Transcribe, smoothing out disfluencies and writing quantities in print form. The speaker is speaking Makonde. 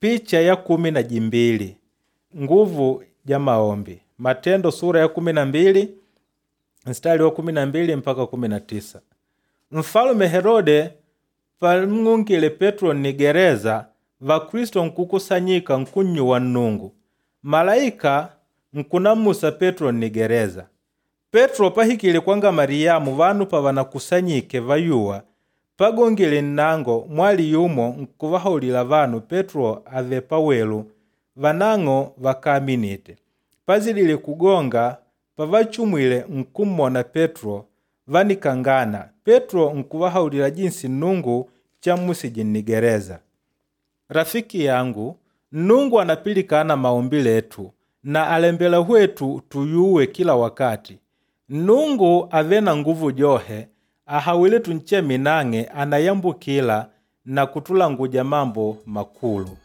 Picha ya 12 nguvu ja maombi. Matendo sura ya 12 mstari wa 12 mpaka 19. Mfalume Herode pamng'ungile Petro nnigereza, Vakristo nkukusanyika nkunnyuwa Nnungu. Malaika nkunamusa Petro nnigereza. Petro pahikile kwanga Mariyamu vanu pavanakusanyike vayuwa, pagongile nnango mwali yumo nkuvahaulila vanu Petro avele pawelu, vanang'o vakáminite. Pazidile kugonga, pavachumwile nkummona Petro, vánikangana. Petro nkuvahaulila jinsi Nnungu chammusije nnigereza. Rafiki yangu, Nnungu anapilikana maombi letu na alembela hwetu tuyuwe kila wakati. Nnungu avele na nguvu johe, ahawile tuncheme nang'e anayambukila na kutulanguja mambo makulu.